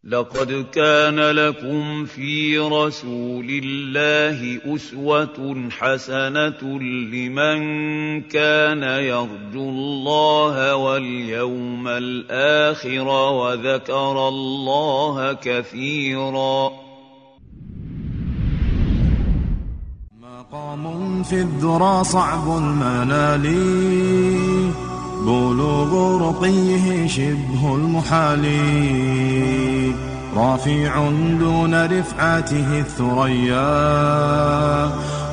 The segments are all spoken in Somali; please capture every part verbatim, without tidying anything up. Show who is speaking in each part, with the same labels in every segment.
Speaker 1: لقد كان لكم في رسول الله أسوة حسنة لمن كان يرجو الله واليوم الآخر وذكر الله كثيرا.
Speaker 2: مقام في الذرى صعب المنال، بلوغ رقيه شبه المحال، رافع دون رفعته الثريا،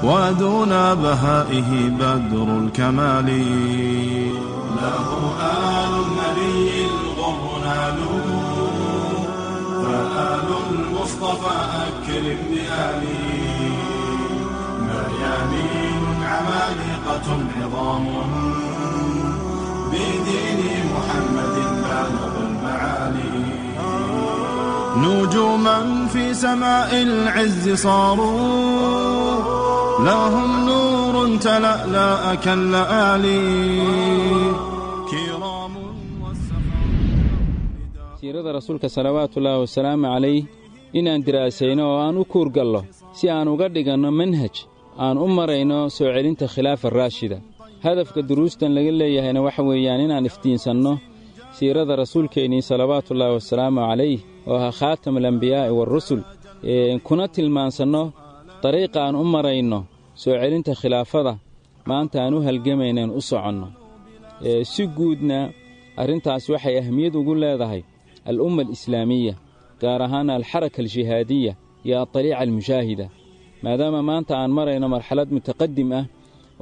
Speaker 2: ودون بهائه بدر الكمال. له آل النبي الغر نالوا، فآل المصطفى أكرم بآله. مريانين عمالقة عظام، بدين محمد بالغ المعالي. نجوما في سماء العز صاروا، لهم نور تلألأ كاللآلي. كرام والسخاء.
Speaker 3: Siirada rasuulka salawaatullaahi wasalaamu calayh inaan diraasayno oo aan u kuurgallo si aan uga dhiganno manhaj aan u marayno soo celinta khilaafa raashida. Hadafka duruustan laga leeyahayna waxa weeyaan inaan iftiinsanno siirada rasuulkeennii salawaatullaahi wasalaamu calayh oo ahaa khaatam alambiyaa'i waarusul, kuna tilmaansanno dariiqa aan u marayno soo celinta khilaafada maanta aan u halgamaynaen u soconno. Si guudna arrintaas waxay ahmiyad ugu leedahay al'umma alislaamiya, gaar ahaan alxaraka aljihaadiya iyo adariica almushaahida, maadaama maanta aan marayno marxalad mutaqadim ah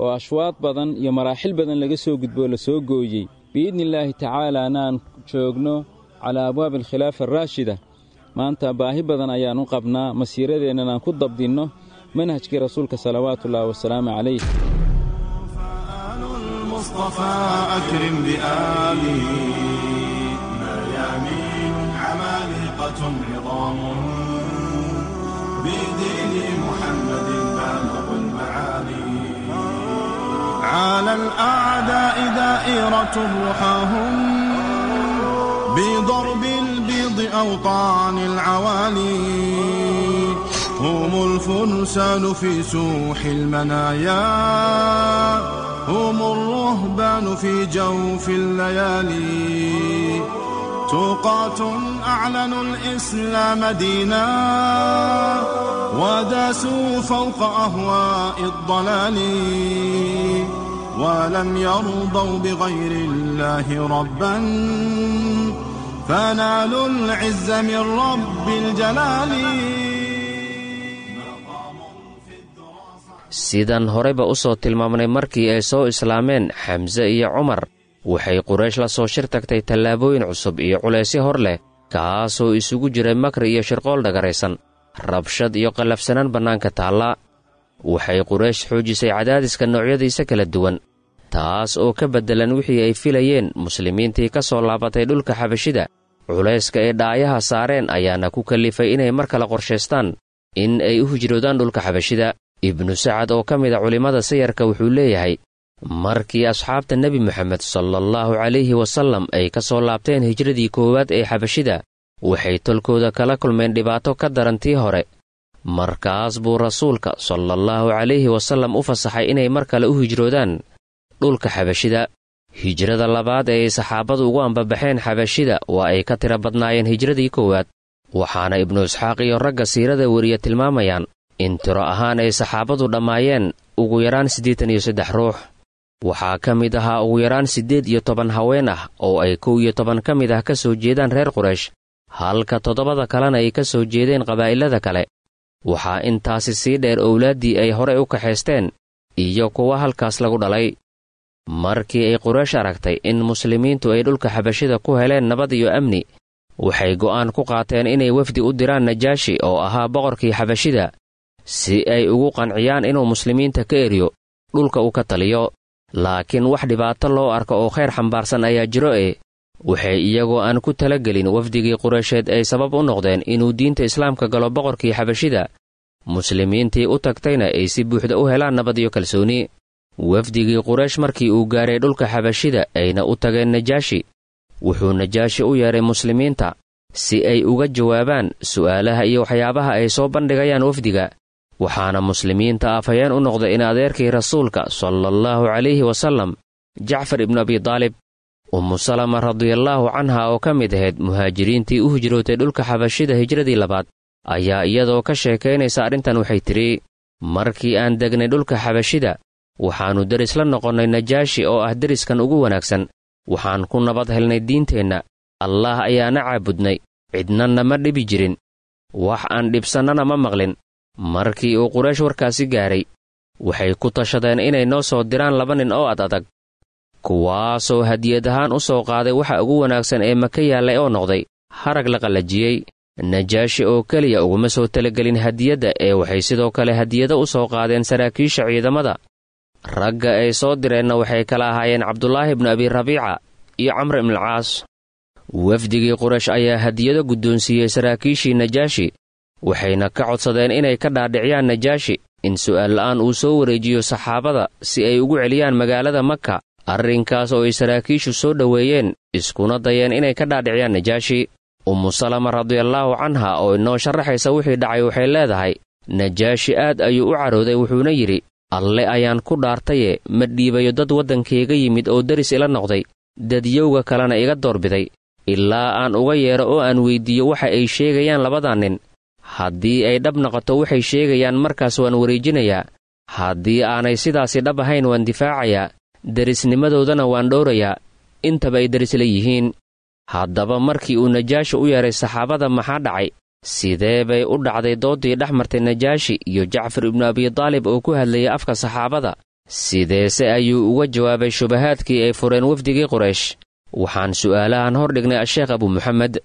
Speaker 3: oo ashwaad badan iyo maraaxil badan laga soo gudboo la soo gooyey, biidni illaahi tacaalaana aan joogno calaa abwaabi alkhilaafa araashida. Maanta baahi badan ayaan u qabnaa masiiradeennan aan ku dabdinno manhajkii rasuulka salawaatullaahi wasalaamu calayh.
Speaker 2: فآل المصطفى أكرم بآله، مريانين عمالقة عظام، بدين محمد بالغ المعالي. على الأعداء دائرة رحاهم، بضرب البيض أوطان العوالي. هم الفرسان في سوح المنايا، هم الرهبان في جوف الليالي. تقاة أعلنوا الإسلام دينا، وداسوا فوق أهواء الضلال. ولم يرضوا بغير الله ربا، فنالوا العز من رب الجلال.
Speaker 4: Sidaan horeyba u soo tilmaamnay, markii ay soo islaameen Xamse iyo Cumar, waxay Quraysh la soo shir tagtay tallaabooyin cusub iyo culaysyo hor leh, kaasoo isugu jiray makri iyo shirqool dhagaraysan, rabshad iyo qallafsanaan bannaanka taalla. Waxay Quraysh xoojisay cadaadiska noocyadiisa kala duwan, taas oo ka beddelan wixii ay filayeen muslimiintii ka soo laabatay dhulka Xabashida. Culayska ay dhaayaha saareen ayaana ku kallifay inay mar kale qorshaystaan in ay u hijroodaan dhulka Xabashida. Ibnu Sacad oo ka mid a culimmada sayarka wuxuu leeyahay, markii asxaabta Nebi Moxamed salaallahu calayhi wasallam ay ka soo laabteen hijradii koowaad ee Xabashida, waxay tolkooda kala kulmeen dhibaato ka daran tii hore. Markaas buu rasuulka salaallahu calayhi wasallam u fasaxay inay mar kale u hijroodaan dhulka Xabashida. Hijrada labaad ee ay saxaabadu ugu ambabaxeen Xabashida waa ay ka tiro badnaayeen hijradii koowaad, waxaana Ibnu Isxaaq iyo ragga siirada weriya tilmaamayaan in tiro ahaan ay saxaabadu dhammaayeen ugu yaraan siddeetan iyo saddex ruux. Waxaa ka mid ahaa ugu yaraan siddeed iyo toban haween ah, oo ay kow iyo toban ka mid ah ka soo jeedaan reer Quraysh, halka toddobada kalena ay ka soo jeedeen qabaa'ilada kale. Waxaa intaasi sii dheer owlaaddii ay horey u kaxaysteen iyo kuwa halkaas lagu dhalay. Markii ay Quraysh aragtay in muslimiintu ay dhulka Xabashida ku heleen nabad iyo amni, waxay go'aan ku qaateen inay wafdi u diraan Najaashi oo ahaa boqorkii Xabashida, si ay ugu qanciyaan inuu muslimiinta ka eriyo dhulka uu ka taliyo. Laakiin wax dhibaato loo arko oo khayr xambaarsan ayaa jiro e waxay iyagoo aan ku talagelin wafdigii Qureysheed ay sabab u noqdeen inuu diinta islaamka galo boqorkii Xabashida, muslimiintii u tagtayna ay si buuxda u helaan nabad iyo kalsooni. Wafdigii Quraysh markii uu gaaray dhulka Xabashida ayna u tageen Najaashi, wuxuu Najaashi u yeedhay muslimiinta, si ay uga jawaabaan su'aalaha iyo waxyaabaha ay soo bandhigayaan wafdiga. Waxaana muslimiinta afhayeen u noqday in adeerkii rasuulka salaallahu calayhi wasallam Jacfar ibnu Abidaalib. Ummu Salama radiallaahu canha oo ka mid ahayd muhaajiriintii u hijrootay dhulka xabashida hijradii labaad ayaa iyadoo ka sheekaynaysa arrintan waxay tidhi: markii aan degnay dhulka xabashida waxaannu deris la noqonnay Najaashi oo ah deriskan ugu wanaagsan. Waxaan ku nabad helnay diinteenna, Allaah ayaana caabudnay, cidna nama dhibi jirin, wax aan dhibsannana ma maqlin. Markii uu Quraysh warkaasi gaaray, waxay ku tashadeen inay noo soo diraan laba nin oo ad adag, kuwaasoo hadiyad ahaan u soo qaaday waxa ugu wanaagsan ee maka yaallay oo noqday harag la qallajiyey. Najaashi oo keliya uguma soo talagelin hadiyadda ee waxay sidoo kale hadiyado u soo qaadeen saraakiisha ciidamada. Ragga ay soo direenna waxay kala ahaayeen Cabdulaahi ibnu Abi Rabiica iyo Camr ibnulcaas. Wafdigii Quraysh ayaa hadiyado guddoonsiiyey saraakiishii Najaashi, waxayna ka codsadeen inay ka dhaadhiciyaan Najaashi in su'aal la'aan uu soo wareejiyo saxaabada si ay ugu celiyaan magaalada Maka. Arrinkaas oo ay saraakiishu soo dhoweeyeen iskuna dayeen inay ka dhaadhiciyaan Najaashi. Ummu Salama radiallaahu canha oo inoo sharaxaysa wixii dhacay waxay leedahay: Najaashi aad ayuu u carooday, wuxuuna yidhi: Alle ayaan ku dhaartaye, ma dhiibayo dad waddankayga yimid oo deris ila noqday, dadyowga kalena iga doorbiday, ilaa aan uga yeedho oo aan weyddiiyo waxa ay sheegayaan labadan nin. Haddii ay dhab noqoto waxay sheegayaan markaas waan wareejinayaa, haddii aanay sidaasi dhab ahayn waan difaacayaa, derisnimadoodana waan dhowrayaa, intaba ay deris la yihiin. Haddaba markii uu Najaashi u yeedhay saxaabada maxaa dhacay? Sidee bay u dhacday dooddii dhex martay Najaashi iyo Jacfar ibnu Abidaalib oo ku hadlayay afka saxaabada? Sideese ayuu uga jawaabay shubahaadkii ay fureen wafdigii Quraysh? Waxaan su'aalahan hor dhignay Asheekh Abu Muxamed.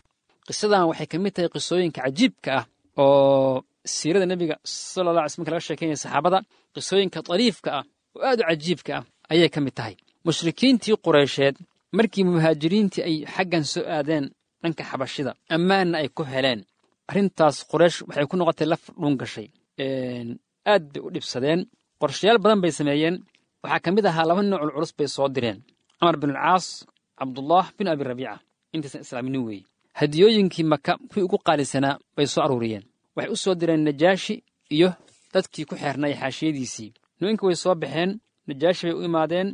Speaker 5: Qisadan waxay ka mid tahay qisooyinka cajiibka ah oo siirada nebiga sala allah alay slam marka laga sheekeynaya saxaabada, qisooyinka dariifka ah oo aad u cajiibka ah ayay ka mid tahay. Mushrikiintii Qureysheed markii muhaajiriintii ay xaggan soo aadeen dhanka xabashida, ammaanna ay ku heleen, arrintaas Quraysh waxay ku noqotay laf dhuun gashay. Aad bay u dhibsadeen, qorshayaal badan bay sameeyeen. Waxaa ka mid ahaa laba nooc culculus bay soo direen: Camar binulcaas, Cabdullah bin Abi Rabiica, intaysan islaaminin weeye. Hadiyooyinkii Maka kuwii ugu qaalisanaa bay soo aruuriyeen. Waxay u soo direen Najaashi iyo dadkii ku xeernay xaashiyadiisii. Nimanka way soo baxeen, Najaashi bay u imaadeen.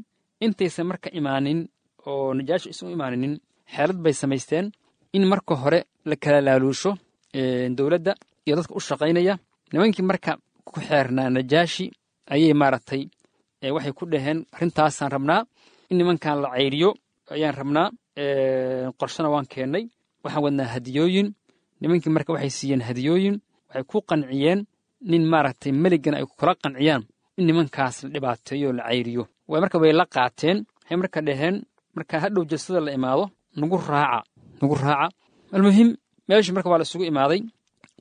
Speaker 5: Intaysan marka imaanin oo Najaashi isu imaaninin, xeelad bay samaysteen in marka hore la kala laaluusho dowladda iyo dadka u shaqaynaya. Nimankii marka ku xeernaa Najaashi ayay maaragtay waxay ku dhaheen: arrintaasaan rabnaa in nimankan la cayriyo ayaan rabnaa, qorshana waan keennay, waxaan wadnaa hadiyooyin. Nimankii marka waxay siiyeen hadiyooyin, waxay ku qanciyeen nin maaragtay meligana ay kula qanciyaan in nimankaas la dhibaateeyo la cayriyo. Way marka way la qaateen, waxay marka dhaheen: marka hadhow jalsada la imaado nagu raaca, nagu raaca. Almuhim meeshii marka waa la isugu imaaday,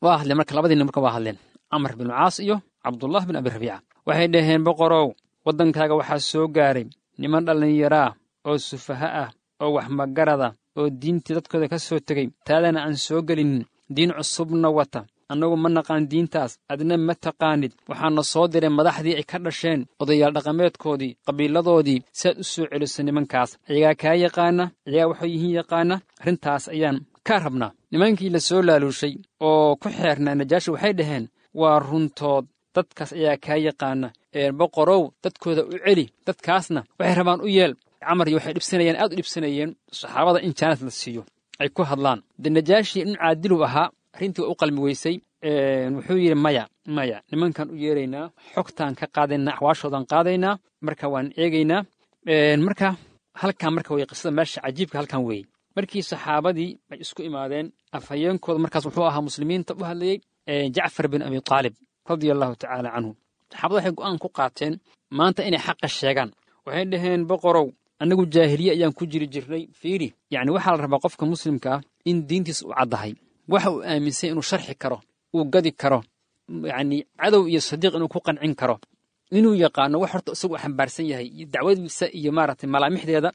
Speaker 5: waa hadleen marka labadii nin marka waa hadleen, Camar binu Caas iyo Cabdullah bin Abi Rabiica. Waxay dhaheen: boqorow, waddankaaga waxaa soo gaaray niman dhallinyaraa oo sufaha ah oo wax magarada oo diintii dadkooda ka soo tegey, taadana aan soo gelinin, diin cusubna wata. Annagu ma naqaan diintaas, adna ma taqaanid. Waxaana soo diray madaxdii ay ka dhasheen, odayaal dhaqameedkoodii, qabiiladoodii, si aad u soo celiso nimankaas. Ayagaa kaa yaqaana, ayagaa waxay yihiin yaqaana, arrintaas ayaan kaa rabnaa. Nimankii la soo laaluushay oo ku xeernaa Najaashi waxay dhaheen: waa runtood, dadkaas ayaa kaa yaqaana, boqorow dadkooda u celi, dadkaasna waxay rabaan u yeel. Camar iyo waxay dhibsanayeen, aad u dhibsanayeen saxaabada in jaanis la siiyo ay ku hadlaan. De Najaashi nin caadilu ahaa, arrintii waa u qalmi weysay. Wuxuu yidhi: maya maya, nimankan u yeeraynaa, xogtaan ka qaadaynaa, axwaashoodan qaadaynaa, marka waan eegaynaa. Marka halkan marka wey qisada meesha cajiibka halkan weeye. Markii saxaabadii ay isku imaadeen, afhayeenkooda markaas wuxuu ahaa muslimiinta u hadlayey Jacfar bin Abi Taalib radia allahu tacaala canhu. Saxaabada waxay go'aan ku qaateen maanta inay xaqa sheegaan. Waxay dhaheen: boqorow, annagu jaahiliye ayaan ku jiri jirnay. Fiiri, yacni waxaa la rabaa qofka muslimka ah in diintiisa u caddahay, waxa uu aaminsay inuu sharxi karo, uu gadi karo, yacni cadow iyo sadiiq inuu ku qancin karo, inuu yaqaano wax horta isagu xambaarsan yahay iyo dacwadiisa iyo maaragtay malaamixdeeda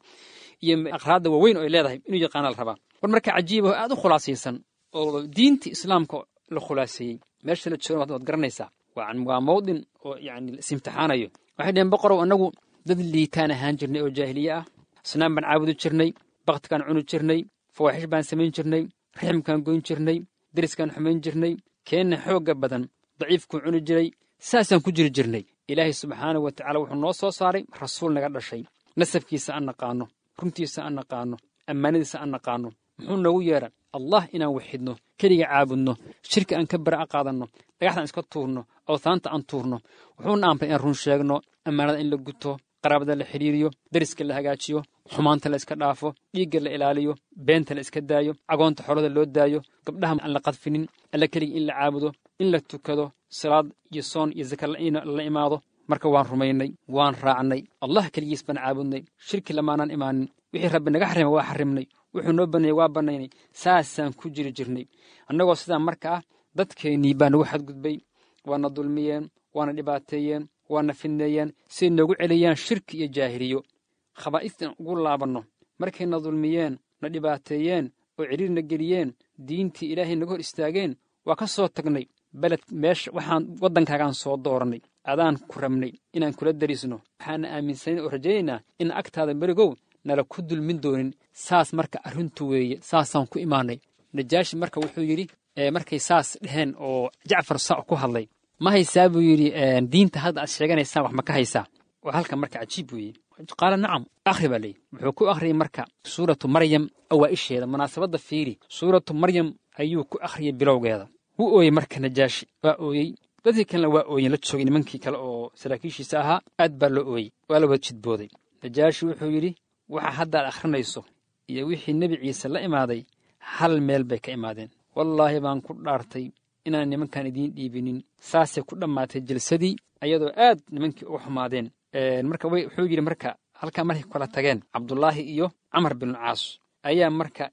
Speaker 5: iyo aqraadda waaweyn oo ay leedahay inuu yaqaana la rabaa. War marka cajiib oo aad u khulaasaysan oo diinta islaamka la khulaaseeyey, meesha la joogo waad garanaysaa, waa mawdin oo yacni la is-imtixaanayo. Waxay dhaheen: boqorow, annagu dad liitaan ahaan jirnay oo jaahiliye ah, asnaam baan caabudi jirnay, baktikaan cuni jirnay, fawaaxish baan samayn jirnay, Riximkaan goyn jirnay, deriskaan xumayn jirnay, keenna xoogga badan daciifkuu cuni jiray, saasaan ku jiri jirnay. Ilaahay subxaanahu wa tacala wuxuu noo soo saaray rasuul naga dhashay, nasabkiisa aan naqaanno, runtiisa aan naqaanno, ammaanadiisa aan naqaanno. Muxuu noogu yeedha? Allah inaan waxidno, keliga caabudno, shirka aan ka bara'a qaadanno, dhagaxdaan iska tuurno, awtaanta aan tuurno. Wuxuuna amray inaan run sheegno, ammaanada in la guto, qaraabada la xidhiiriyo, deriska la hagaajiyo, xumaanta la iska dhaafo, dhiigga la ilaaliyo, beenta la iska daayo, cagoonta xolada loo daayo, gabdhaha aan la qadfinin, alla keliga in la caabudo, in la tukado, salaad iyo soon iyo zaka la imaado. Marka waan rumaynay, waan raacnay, Allah keligiis baan caabudnay, shirki lamaanaan imaanin, wixii rabbi naga xarimay waa xarimnay, wuxuu noo baneeyey waa bannaynay. Saasaan ku jiri jirnay. Annagoo sidaa marka ah, dadkeennii baa nagu xadgudbay, waana dulmiyeen, waana dhibaateeyeen, waana fidneeyeen, siay noogu celiyaan shirki iyo jaahiliyo, khabaa'istan ugu laabanno. Markayna dulmiyeen, na dhibaateeyeen oo cidhiirna geliyeen, diintii ilaahay naga hor istaageen, waa ka soo tagnay beled meesha waxaan waddankaagaan soo doorannay, adaan ku rabnay inaan kula darisno, waxaana aaminsanayn oo rajaynaynaa in agtaada berigow nala ku dulmin doonin. Saas marka arrintu weeye, saasaan ku imaanay. Najaashi marka wuxuu yidhi markay saas dheheen oo Jacfar saa ku hadlay, ma haysaa buu yidhi diinta hadda aad sheeganaysaan, wax ma ka haysaa? Waa halka marka cajiib weeye. Qaala nacam, akhri baa leeyihi. Wuxuu ku akhriyey marka suuratu Maryam awaa'isheeda. Munaasabadda fiiri, suuratu Maryam ayuu ku akhriyey bilowgeeda. Wuu ooyey marka Najaashi, waa ooyey, dadkii kalena waa ooyeen la joogay, nimankii kale oo saraakiishiisa ahaa aad baa loo ooyey, waa la wada jidbooday. Najaashi wuxuu yidhi waxa hadda aad akhrinayso iyo wixii Nebi Ciise la imaaday hal meel bay ka imaadeen. Wallaahi baan ku dhaartay inaan nimankan idiin dhiibinin. Saasay ku dhammaatay jilsadii, ayadoo aad nimankii uga xumaadeen. Marka wuxuu yidhi marka halkaa markay kala tageen Cabdullaahi iyo Camar binulcaas ayaa marka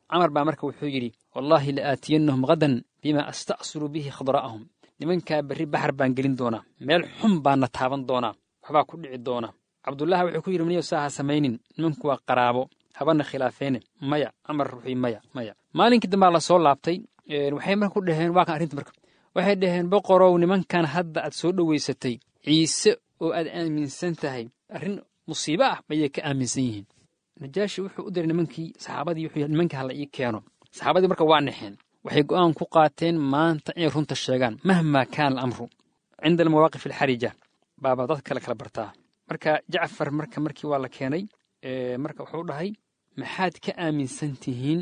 Speaker 5: Camar baa marka wuxuu yidhi wallaahi la aatiyannahum hadan bima asta'siru bihi khadra'ahum. Nimankaa berri baxar baan gelin doonaa, meel xun baanna taaban doonaa, waxbaa ku dhici doona. Cabdullaahi wuxuu ku yidhi maniyo saa ha samaynin, nimanku waa qaraabo, habana khilaafeene. Maya Camar wuxuu maya maya. Maalinkii dambaa la soo laabtay, waxay marka ku dhaheen waa kan arrinta marka waxay dhaheen boqorow, nimankan hadda aad soo dhoweysatay Ciise oo aad aaminsan tahay arrin musiibo ah ayay ka aaminsan yihiin. Najaashi wuxuu u diray nimankii saxaabadii, wuxuu yidhi nimanka hala ii keeno. Saxaabadii marka waa naxeen, waxay go'aan ku qaateen maanta inay runta sheegaan mahmaa kaana alamru. Cinda almawaaqif alxarija baaba dad kale kala bartaa. Marka Jacfar marka markii waa la keenay, marka wuxuu dhahay maxaad ka aaminsan tihiin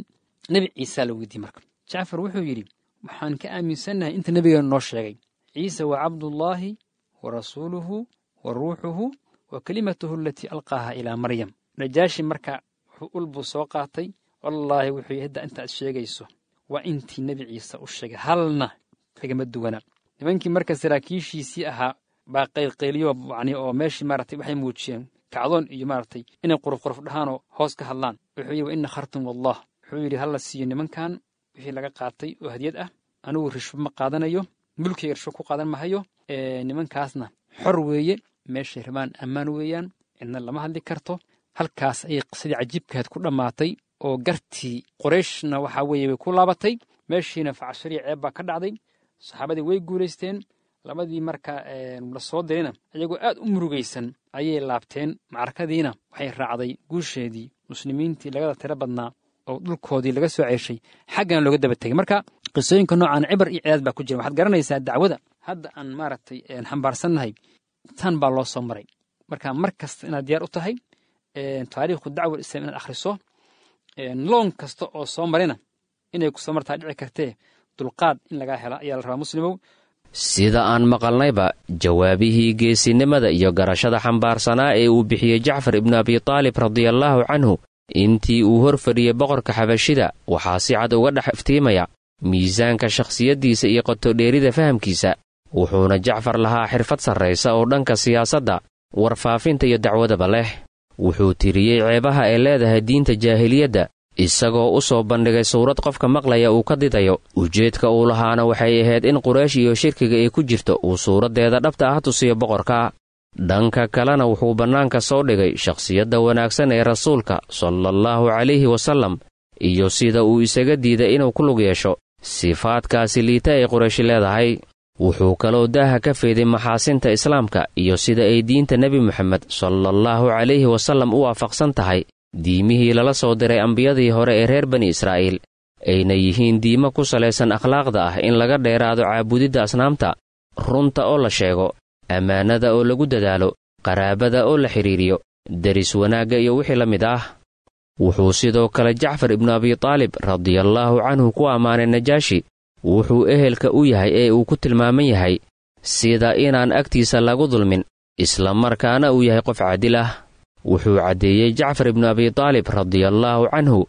Speaker 5: Nebi Ciise? La weydiiyey marka. Jacfar wuxuu yidhi waxaan ka aaminsannahay inta nebigeena noo sheegay. Ciise waa cabdullaahi wa rasuuluhu wa ruuxuhu wa kelimatuhu alatii alqaaha ilaa Maryam. Najaashi marka wuxuu ulbuu soo qaatay, wallaahi wuxuu yidhi hadda inta aad sheegayso waa intii Nebi Ciise u sheegay, halna kagama duwana. Nimankii marka saraakiishiisii ahaa baa qaylqayliyo yani oo meeshii maaragtay waxay muujiyeen kacdoon iyo maaragtay inay quruf quruf dhahaanoo hoos ka hadlaan. Wuxuu yidhi wa ina khartum wallah. Wuxuu yidhi hala siiyo nimankan wixii laga qaatay oo hadiyad ah, anigu rishwo ma qaadanayo, mulkiyga rishwo ku qaadan mahayo, nimankaasna xor weeye, meeshay rabaan ammaan weeyaan, cidna lama hadli karto. Halkaas ayay qisadii cajiibkahayd ku dhammaatay oo gartii Qorayshna waxaa weeye way ku laabatay, meeshiina facshariya ceeb baa ka dhacday. Saxaabadii way guulaysteen. Labadii marka la soo dirayna iyagoo aad u murugaysan ayay laabteen. Macrakadiina waxay raacday guusheedii muslimiintii lagada tiro badnaa oo dhulkoodii laga soo ceeshay, xaggana looga daba tegay. Marka qisooyinka noocan cibar iyo cidaad baa ku jira. Waxaad garanaysaa dacwada hadda aan maaragtay xambaarsannahay tan baa loo soo maray. Marka mar kasta inaad diyaar u tahay taariikhu dacwa islaam inaad akhriso, loon kasta oo soo marayna inay ku soo martaa dhici kartee, dulqaad in lagaa hela ayaa la rabaa muslimow.
Speaker 4: Sida aan maqalnayba, jawaabihii geesinimada iyo garashada xambaarsanaa ee uu bixiyey Jacfar ibnu Abitaalib radiallaahu canhu intii uu hor fadhiyey boqorka Xabashida waxaa si cad uga dhex iftiimaya miisaanka shakhsiyaddiisa iyo qotodheerida fahamkiisa. Wuxuuna Jacfar lahaa xirfad sarraysa oo dhanka siyaasadda, warfaafinta iyo dacwadaba leh. Wuxuu tiriyey ceebaha ay leedahay diinta jaahiliyadda, isagoo u soo bandhigay suurad qofka maqlaya uu ka didayo. Ujeedka uu lahaana waxay ahayd in Quraysh iyo shirkiga ay ku jirto uu suuraddeeda dhabta ah tusiyo boqorka. Dhanka kalena wuxuu bannaanka soo dhigay shakhsiyadda wanaagsan ee rasuulka salaallahu calayhi wasallam iyo sida uu isaga diiday inuu ku lug yeesho sifaadkaasi liita ay Qurayshi leedahay. Wuxuu kaloo daaha ka feeday maxaasinta islaamka iyo sida ay diinta Nebi Moxamed salaallahu calayhi wasallam u waafaqsan tahay diimihii lala soo diray ambiyadii hore ee reer bani Israa'iil, ayna yihiin diimo ku salaysan akhlaaqda ah in laga dheeraado caabudidda asnaamta, runta oo la sheego, ammaanada oo lagu dadaalo, qaraabada oo la xidhiiriyo, deris wanaagga iyo wixii la mid ah. Wuxuu sidoo kale Jacfar ibnu Abitaalib radiallaahu canhu ku ammaanay Najaashi wuxuu ehelka u yahay ee uu ku tilmaaman yahay sida inaan agtiisa lagu dulmin, isla markaana uu yahay qof caadil ah. Wuxuu caddeeyey Jacfar ibnu Abitaalib radiallaahu canhu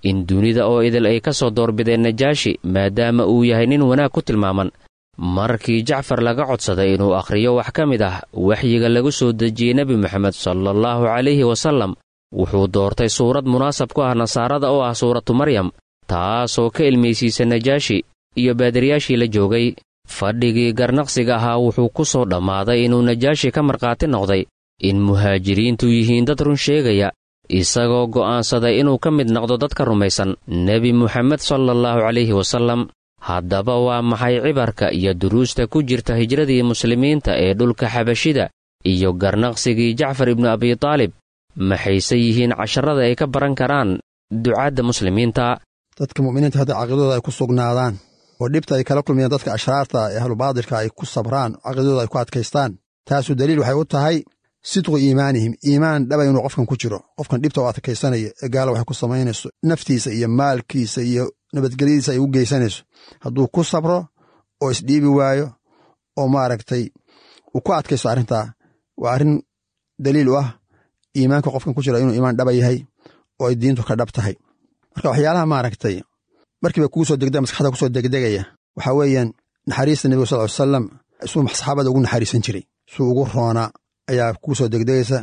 Speaker 4: in dunida oo idil ay ka soo doorbideen Najaashi maadaama uu yahay nin wanaag ku tilmaaman. Markii Jacfar laga codsaday inuu akhriyo wax ka mid ah waxyiga lagu soo dejiyey Nebi Moxamed sallallahu calayhi wasallam, wuxuu doortay suurad munaasab ku ah nasaarada oo ah suuratu Maryam, taasoo ka ilmaysiisa Najaashi iyo baadiriyaashii la joogay. Fadhigii garnaqsiga ahaa wuxuu ku soo dhammaaday inuu Najaashi ka markhaati noqday in muhaajiriintu yihiin dad run sheegaya, isagoo go'aansaday inuu ka mid noqdo dadka rumaysan Nebi Moxamed sallallahu calayhi wasallam. Haddaba waa maxay cibarka iyo duruusta ku jirta hijradii muslimiinta ee dhulka Xabashida iyo garnaqsigii Jacfar ibnu Abitaalib? Maxayse yihiin casharada ay ka baran karaan ducaadda muslimiinta?
Speaker 6: Dadka mu'miniinta hadda caqiidadooda ay ku sugnaadaan oo dhibta ay kala kulmayaan dadka ashraarta ee ahlubaadilka ay ku sabraan, caqiidadooda ay ku adkaystaan, taasu daliil waxay u tahay sidqu iimaanihim, iimaan dhaba inuu qofkan ku jiro. Qofkan dhibta u adkaysanaya ee gaala waxay ku samaynayso naftiisa iyo maalkiisa iyo nabadgelyadiisa ay u geysanayso, hadduu ku sabro oo isdhiibi waayo oo maaragtay uu ku adkaysto arrintaa, waa arrin daliil u ah iimaanka qofkan ku jira inuu iimaan dhaba yahay oo ay diintu ka dhab tahay. Marka waxyaalaha maaragtay markiiba kugu soo degdega, maskaxda kusoo degdegaya, waxaa weeyaan naxariista nebiga sal ly salam suu saxaabada ugu naxariisan jiray, suu ugu roonaa ayaa kugu soo degdegaysa,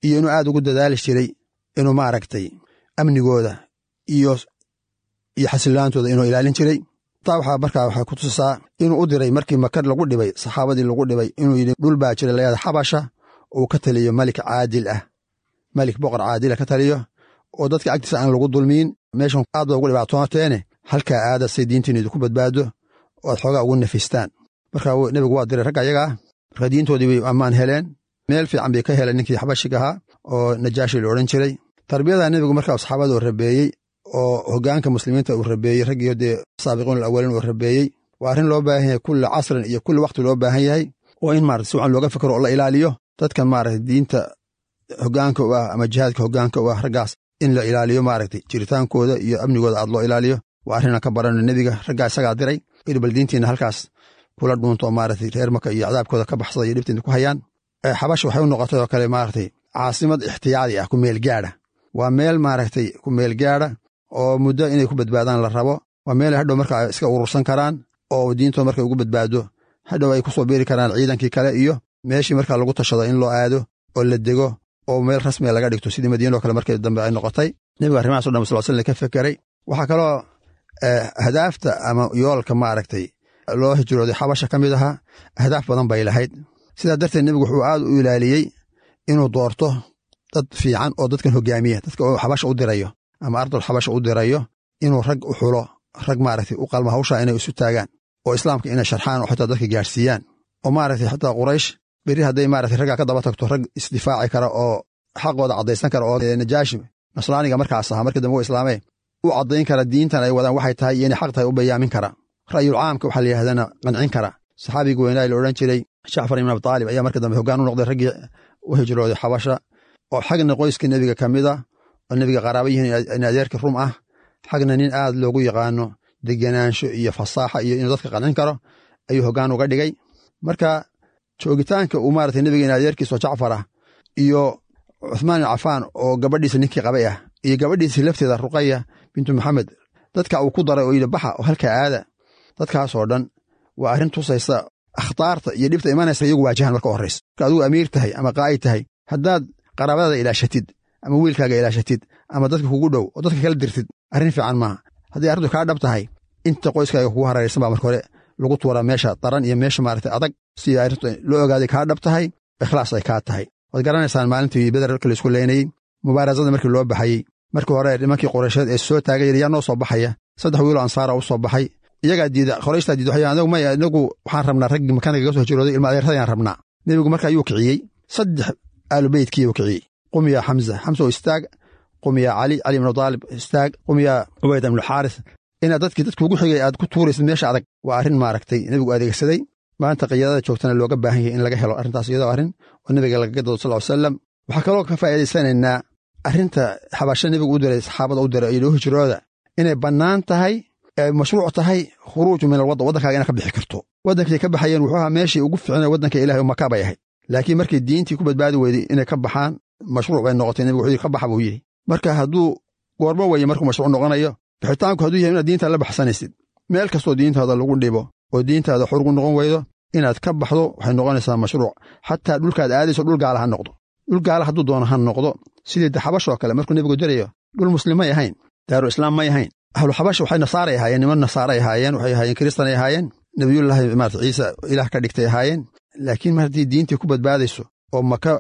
Speaker 6: iyo inuu aad ugu dadaali jiray inuu maaragtay amnigooda iyo iyo xasilaantooda inuu ilaalin jiray. Taa waxaa markaa waxay ku tusisaa inuu u diray markii Maka lagu dhibay, saxaabadii lagu dhibay, inuu yidhi dhul baa jira layada Xabasha uu ka taliyo malik caadil ah, malik boqor caadila ka taliyo oo dadka agtiisa aan lagu dulmiin. Meeshan aad ba ugu dhibaatooteene, halkaa aada say diintiina idinku badbaado oo aad xoogaa ugu nafistaan. Marka nebigu waa diray ragga ayaga ah. Marka diintoodii bay ammaan heleen, meel fiican bay ka heleen ninkii xabashiga ahaa oo Najaashi la odhan jiray. Tarbiyada nebigu markaa saxaabada uu rabeeyey oo hoggaanka muslimiinta uu rabeeyey, raggiyo dee saabiqiin alawaliin uu rabeeyey, waa arrin loo baahan yahay kulli casrin iyo kulli waqti loo baahan yahay, oo in maarata si wacan looga fikro oo la ilaaliyo dadka maarata diinta hoggaanka u ah ama jihaadka hoggaanka u ah, raggaas in la ilaaliyo maaragtay jiritaankooda iyo amnigooda aad loo ilaaliyo. Waa arrinaan ka barano nebiga, raggaa isagaa diray inuu bal diintiina halkaas kula dhuunto maaragtay reer Maka iyo cadaabkooda ka baxsada iyo dhibtiina ku hayaan. Xabasha waxay u noqotay oo kale maaragtay caasimad ixtiyaadi ah, ku meel gaadha. Waa meel maaragtay ku meel gaadha oo muddo inay ku badbaadaan la rabo. Waa meel hadhow marka iska urursan karaan oo diintooda markay ugu badbaado hadhow ay ku soo biiri karaan ciidankii kale iyo meeshii markaa lagu tashado in loo aado oo la dego oo meel rasmiga laga dhigto, sidii Madiina oo kale markii dambe ay noqotay. Nebiga arrimahaas o dhan sal slam ka fekeray. Waxaa kaloo ahdaafta ama yoolka maaragtay loo hijrooday Xabasha ka mid ahaa, ahdaaf badan bay lahayd. Sidaa darteed nebigu wuxuu aad u ilaaliyey inuu doorto dad fiican oo dadkan hogaamiya, dadka uu Xabasha u dirayo ama ardul Xabasha u dirayo, inuu rag u xulo, rag maaragtay u qalmo hawshaa inay isu taagaan oo islaamka inay sharxaan oo xitaa dadka gaarsiiyaan, oo maaragtay xitaa Quraysh berri hadday maaragtay raggaa ka daba tagto, rag isdifaaci kara oo xaqooda caddaysan kara oo Najaashi nasraaniga markaas ahaa markii dambe u islaamee u caddayn kara diintan ay wadaan waxay tahay iyo inay xaq tahay u bayaamin kara, ra'yul caamka waxaa la yidhahdana qancin kara. Saxaabiga weynaa la odhan jiray Jacfar ibn Abitaalib ayaa markii dambe hoggaan u noqday raggii u hijrooday Xabasha, oo xagna qoyska nebiga ka mid ah oo nebiga qaraaba yihiin in adeerka rum ah, xagna nin aad loogu yaqaano degenaansho iyo fasaaxa iyo inuu dadka qancin karo ayuu hoggaan uga dhigay. Marka joogitaanka uu maaragtay nebiga in adeerkiisa oo Jacfar ah iyo Cuthmaan ibn Cafaan oo gabadhiisa ninkii qabay ah iyo gabadhiisa lafteeda Ruqaya bintu Maxamed, dadka uu ku daray oo yidhi baxa oo halka aada, dadkaasoo dhan waa arrin tusaysa akhtaarta iyo dhibta imanaysa iyagu waajahan marka horraysa. Marka adigu amiir tahay ama qaa'id tahay, haddaad qaraabadaada ilaashatid ama wiilkaaga ilaashatid ama dadka kugu dhow oo dadka kala dirtid, arrin fiican maaha. Haddii arrintu kaa dhab tahay, inta qoyskaaga kugu hareeraysan baa marka hore lagu tuuraa meesha daran iyo meesha maaragtay adag, si arrintu loo ogaaday kaa dhab tahay, ikhlaas ay kaa tahay. Waad garanaysaan maalintii Beder markii la isku leynayey, mubaarasada markii loo baxayey, markii hore nimankii Quraysheed ee soo taagay yaa noo soo baxaya, saddex wiiloo ansaara u soo baxay, iyagaa diida, Qorayshtaa diida, waxay anagu maya, inagu waxaan rabnaa raggii makaanka kaga soo hijrooday ilma adeertadayaan rabnaa. Nebigu marka ayuu kiciyey saddex aalu beytkii uu kiciyey. Qum yaa Xamza, Xamsa oo istaag, qum yaa Cali, Cali ibnu Taalib istaag, qum yaa Cubayd ibnu Xaaris. Inaad dadkii dadkuugu xigay aad ku tuuraysid meesha adag waa arrin maaragtay nebigu adeegsaday. Maanta qiyaadada joogtana looga baahan yahay in laga helo arrintaas, iyadoo arrin oo nebiga lagaga dado sal ly salam. Waxaa kaloo ka faa'iidaysanaynaa arrinta xabasho nebigu u diray saxaabada u diray iyo loo hijrooda inay bannaan tahay, mashruuc tahay khuruuju min alwaddan, waddankaaga inaad ka bixi karto. Waddankay ka baxayeen wuxuu ahaa meeshii ugu fiicnay waddanka ilahay oo Maka bay ahayd, laakiin markii diintii ku badbaadi weyday inay ka baxaan mashruuc bay noqotay. Nebigu wuxuu yidhi ka baxa buu yidhi. Marka hadduu goormo weeye markuu mashruuc noqonayo bixitaanku hadduu yahay inaad diintaada la baxsanaysid, meel kastoo diintaada lagu dhibo oo diintaada xor ugu noqon weydo inaad ka baxdo waxay noqonaysaa mashruuc. Xataa dhulkaad aadayso dhul gaala ha noqdo, dhul gaala hadduu doono ha noqdo. Sidii xabashoo kale markuu nebigu dirayo dhul muslim may ahayn, daaru islaam may ahayn. Ahlu xabash waxay nasaaray ahaayeen, niman nasaaray ahaayeen, waxay ahaayeen kiristanay ahaayeen, nebiyullaahi maarata Ciise ilaah ka dhigtay ahaayeen. Laakiin mar haddii diintii ku badbaadayso oo Maka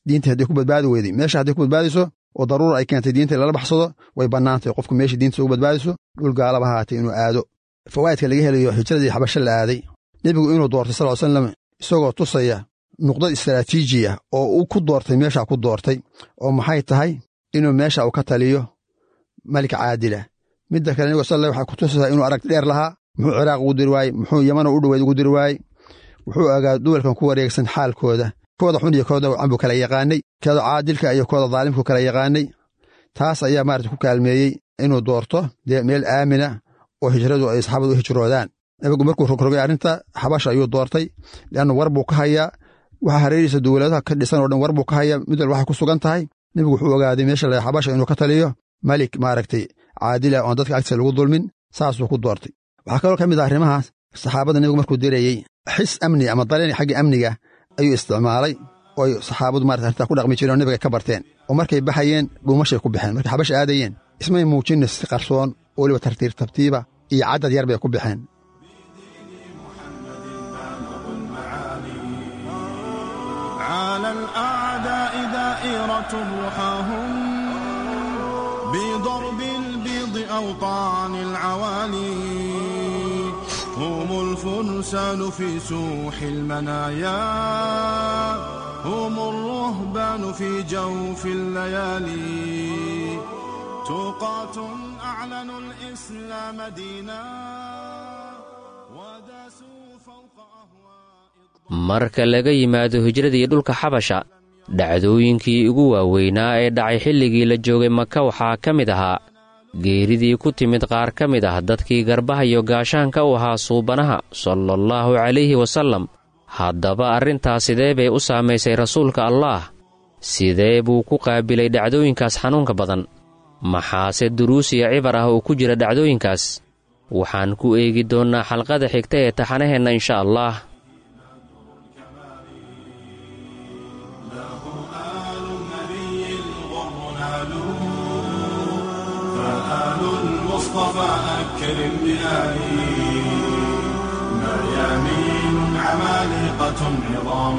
Speaker 6: diintii haddii ku badbaadi weyday, meesha haddii ku badbaadayso oo daruura ay keentay diinta lala baxsado, way bannaantay qofku meeshii diinta ugu badbaadayso dhul gaalaba haatay inuu aado. Fawaa'idka laga helayo hijradii xabasho la aaday, nebigu inuu doortay sal ly salam isagoo tusaya nuqdad istaraatiiji ah oo uu ku doortay meeshaa ku doortay, oo maxay tahay inuu meesha uu ka taliyo malik caadila. Midda kale nebigu sal waxay ku tusaysaa inuu aragti dheer lahaa. Muxuu Ciraaq ugu diri waayey? Muxuu Yamano u dhoweyd ugu diri waayey? Wuxuu ogaa duwalkan ku wareegsan xaalkooda, kooda xun iyo kooda wacan buu kala yaqaanay, kooda caadilka iyo kooda daalimku kala yaqaanay. Taas ayaa maarata ku kaalmeeyey inuu doorto dee meel aamina oo hijradu ay saxaabadu u hijroodaan. Nebigu markuu rogrogay arrinta xabasha ayuu doortay, leanna war buu ka hayaa waxa hareerihiisa dowladaha ka dhisan oo dhan war buu ka hayaa, mid walba waxay ku sugan tahay. Nebigu wuxuu ogaaday meesha la xabasha inuu ka taliyo malik maaragtay caadila oon dadka agtiisa lagu dulmin, saasuu ku doortay. Waxaa kaloo ka mid ah arrimahaas saxaabada nebigu markuu dirayey xis amni ama dareen xagga amniga ayuu isticmaalay, oo ay saxaabadu marata arrintaa ku dhaqmi jireen oo nebiga ka barteen. Oo markay baxayeen dhuumashay ku baxeen, markay xabasha aadayeen ismay muujinna si qarsoon oo weliba tartiib tartiiba iyo caddad yar bay ku baxeen.
Speaker 2: على الأعداء دائرة رحاهم بضرب البيض أوطان العوالي، هم الفرسان في سوح المنايا، هم الرهبان في جوف الليالي، تقاة أعلنوا الإسلام دينا وداسوا فوق أهواء.
Speaker 4: Marka laga yimaado hijradii dhulka xabasha, dhacdooyinkii ugu waaweynaa ee dhacay xilligii la joogay Maka waxaa ka mid ahaa geeridii ku timid qaar ka mid ah dadkii garbaha iyo gaashaanka u ahaa suubanaha salallaahu calayhi wasallam. Haddaba arrintaas sidee bay u saamaysay rasuulka Allaah? Sidee buu ku qaabilay dhacdooyinkaas xanuunka badan? Maxaase duruus iyo cibar ah oo ku jira dhacdooyinkaas? Waxaan ku eegi doonnaa xalqada xigta ee taxanaheenna insha Allah.
Speaker 2: فآل المصطفى أكرم بآلي، ميامين عمالقة عظام.